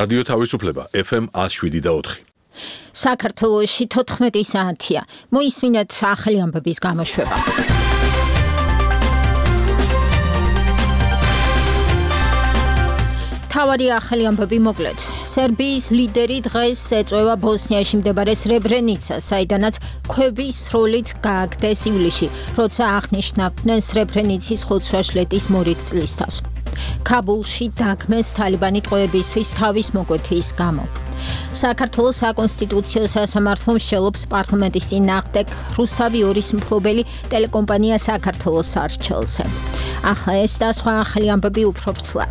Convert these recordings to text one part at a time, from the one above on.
რადიო თავისუფლება FM 107.4. საქართველოში 14 საათია. მოისმინეთ ახალი ამბების გამოშვება. თავარი ახალი ამბები მოკლედ. სერბიის ლიდერი დღეს ეწვევა ბოსნიაში მდებარე სრებრენიცას, საიდანაც ქვები სროლით გააგდეს ივლისში, როცა აღნიშნავდნენ სრებრენიცის ხუთშაბათის მორიგ წლისთავს. ქაბულში დაგმეს თალიბანი ტყვეებისთვის თავის მოკვეთის გამო. საქართველოს საკონსტიტუციო სასამართლო მსჯელობს პარლამენტის წინააღმდეგ რუსთავი 2-ის მფლობელი ტელეკომპანია საქართველოს არჩეულზე. ახლა ეს და სხვა ახალი ამბები უფრო ვრცლად.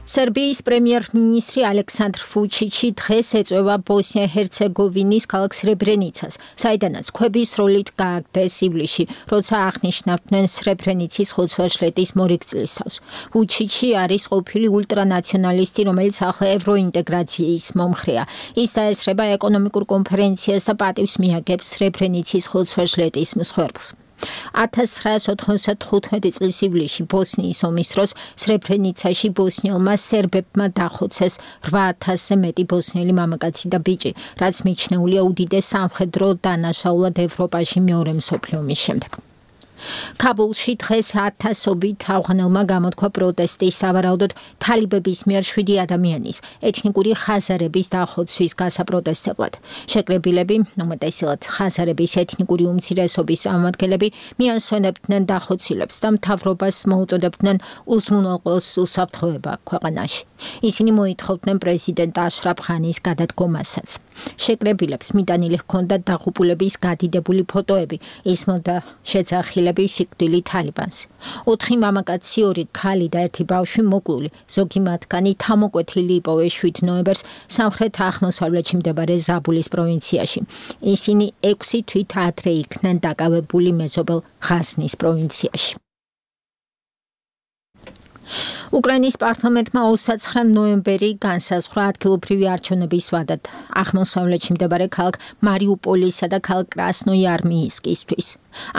სერბიის პრემიერ-მინისტრი ალექსანდრ ვუჩიჩი დღეს ეწვევა ბოსნია-ჰერცეგოვინის ქალაქ სრებრენიცას, საიდანაც ქვები სროლით გააგდეს ივლისში, როცა აღნიშნავდნენ სრებრენიცის ხუთშაბათის მორიგ წლისთავს. ვუჩიჩი არის ყოფილი ულტრანაციონალისტი, რომელიც ახლა ევროინტეგრაციის მომხრეა. ის დაესწრება ეკონომიკურ კონფერენციას და პატივს მიაგებს სრებრენიცის ხუთშაბათის მსხვერპლს. 1995 წლის ივლისში ბოსნიის ომის დროს სრებრენიცაში ბოსნიელმა სერბებმა დახოცეს 8000-ზე მეტი ბოსნიელი მამაკაცი და ბიჭი, რაც მიჩნეულია უდიდეს სამხედრო დანაშაულად ევროპაში მეორე მსოფლიო ომის შემდეგ. ქაბულში დღეს 1000-ობით ავღანელმა გამოთქვა პროტესტი სავარაუდოდ თალიბების მიერ 7 ადამიანის ეთნიკური ხაზარების დახოცვის გასაპროტესტებლად. შეკრებილები, უმეტესად ხაზარების ეთნიკური უმცირესობის წარმომადგენლები მიასვენებდნენ დახოცილებს და მთავრობას მოუწოდებდნენ უზრუნველყოს უსაფრთხოება ქვეყანაში. ისინი მოითხოვდნენ პრეზიდენტ აშრაფ ღანის გადადგომასაც. შეკრებილებს მიტანილი ჰქონდათ დაღუპულების გადიდებული ფოტოები, ისმოდა შეძახილები სიკვდილით თალიბანს. 4 მამაკაცი, 2 ქალი და 1 ბავშვი მოკლული, ზოგი მათგანი თამოკვეთილი იპოვეს 7 ნოემბერს სამხრეთ-აღმოსავლეთში მდებარე ზაბულის პროვინციაში. ისინი 6 თვით ადრე იქნენ დაკავებული მეზობელ ღაზნის პროვინციაში. უკრაინის პარლამენტმა 29 ნოემბერი განსაზღვრა ადგილობრივი არჩევნების ვადად აღმოსავლეთში მდებარე ქალაქ მარიუპოლისა და ქალაქ კრასნოიარმიისკისთვის.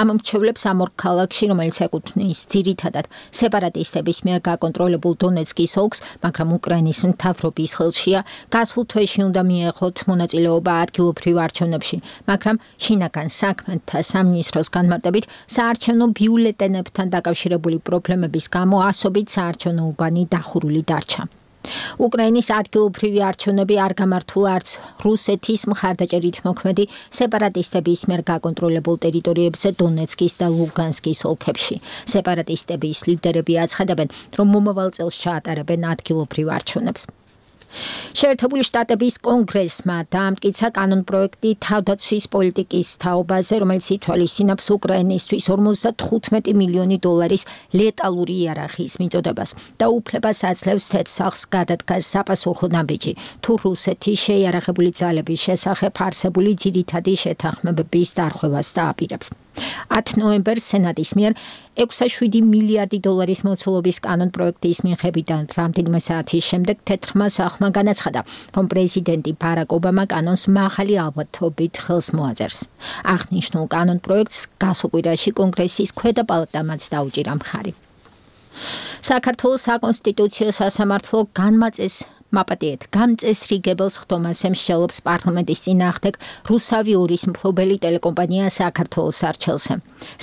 ამ მრჩევლებს ამ ორ ქალაქში, რომელიც ეკუთვნის ძირითადად სეპარატისტების მიერ გაკონტროლებულ დონეცკის ოლქს, მაგრამ უკრაინის მთავრობის ხელშია, გასულ თვეში უნდა მიეღოთ მონაწილეობა ადგილობრივ არჩევნებში, მაგრამ შინაგან საქმეთა სამინისტროს განმარტებით საარჩევნო ბიულეტენებთან დაკავშირებული პრობლემების გამო ასობით საარჩევნო უბანი დახურული დარჩა. უკრაინის ადგილობრივი არჩევნები არ გამართულა არც რუსეთის მხარდაჭერით მოქმედი სეპარატისტების მიერ გაკონტროლებულ ტერიტორიებზე დონეცკის და ლუგანსკის ოლქებში. სეპარატისტების ლიდერები აცხადებენ, რომ მომავალ წელს ჩაატარებენ ადგილობრივ არჩევნებს. შეერთებული შტატების კონგრესმა დაამტკიცა კანონპროექტი თავდაცვის პოლიტიკის თაობაზე, რომელიც ითვალისწინებს უკრაინისთვის 55 მილიონი დოლარის ლეტალური იარაღის მიწოდებას და უფლებას აძლევს თეთრსახს გადადგას საპასუხო ნაბიჯი, თუ რუსეთი შეიარაღებული ძალების შესახებ არსებული ძირითადი შეთანხმებების დარღვევას დააპირებს. 10 ნოემბერს სენატის მიერ 6,7 მილიარდი დოლარის მოცულობის კანონპროექტის მიხედვიდან რამდენიმე საათის შემდეგ თეთრმა სახლმა განაცხადა, რომ პრეზიდენტი ბარაკ ობამა კანონს მაღალი ალბათობით ხელს მოაწერს. აღნიშნულ კანონპროექტს გასულ კვირაში კონგრესის ქვედა პალატამაც დაუჭირა მხარი. საქართველოს საკონსტიტუციო სასამართლო გამწესრიგებელს ხდომას ემსჯელობს პარლამენტის წინააღმდეგ რუსთავი 2-ის მფლობელი ტელეკომპანია საქართველოს არჩეულზე.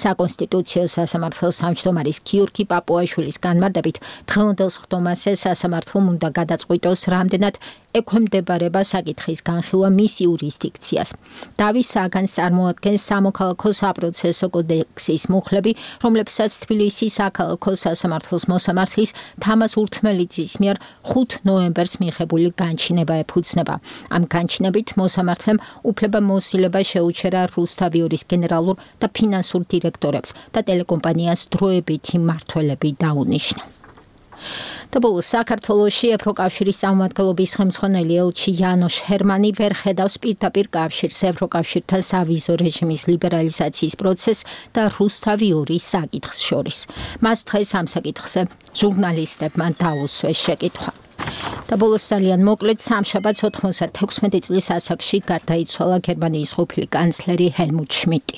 საკონსტიტუციო სასამართლოს თავმჯდომარის გიორგი პაპუაშვილის განმარტებით, დღევანდელს ხდომაზე სასამართლომ უნდა გადაწყვიტოს, რამდენად ექვემდებარება საკითხის განხილვა მის იურისდიქციას. დავის საგანს წარმოადგენს სამოქალაქო საპროცესო კოდექსის მუხლები, რომლებსაც თბილისის საქალაქო სასამართლოს მოსამართლის თამაზ ურთმელიძის მიერ 5 ნოემბერს მიღებული განჩინება ეფუძნება. ამ განჩინებით მოსამართლემ უფლება მოსილება შეუჩერა რუსთავი 2-ის გენერალურ და ფინანსურ დირექტორებს და ტელეკომპანიას დროებითი მმართველები დაუნიშნა. და ბოლოს საქართველოში ევროკავშირის სამმართველობის ხელმძღვანელი ელჩი იანოშ ჰერმანი ვერ ხედავს პირდაპირ კავშირს ევროკავშირთან სავიზო რეჟიმის ლიბერალიზაციის პროცესს და რუსთავი 2 საკითხს შორის. მას დღეს ამ საკითხზე ჟურნალისტებმა დაუსვეს შეკითხვა. და ბოლოს ძალიან მოკლედ სამშაბათს 96 წლის ასაკში გარდაიცვალა გერმანიის ყოფილი კანცლერი ჰელმუტ შმიდტი.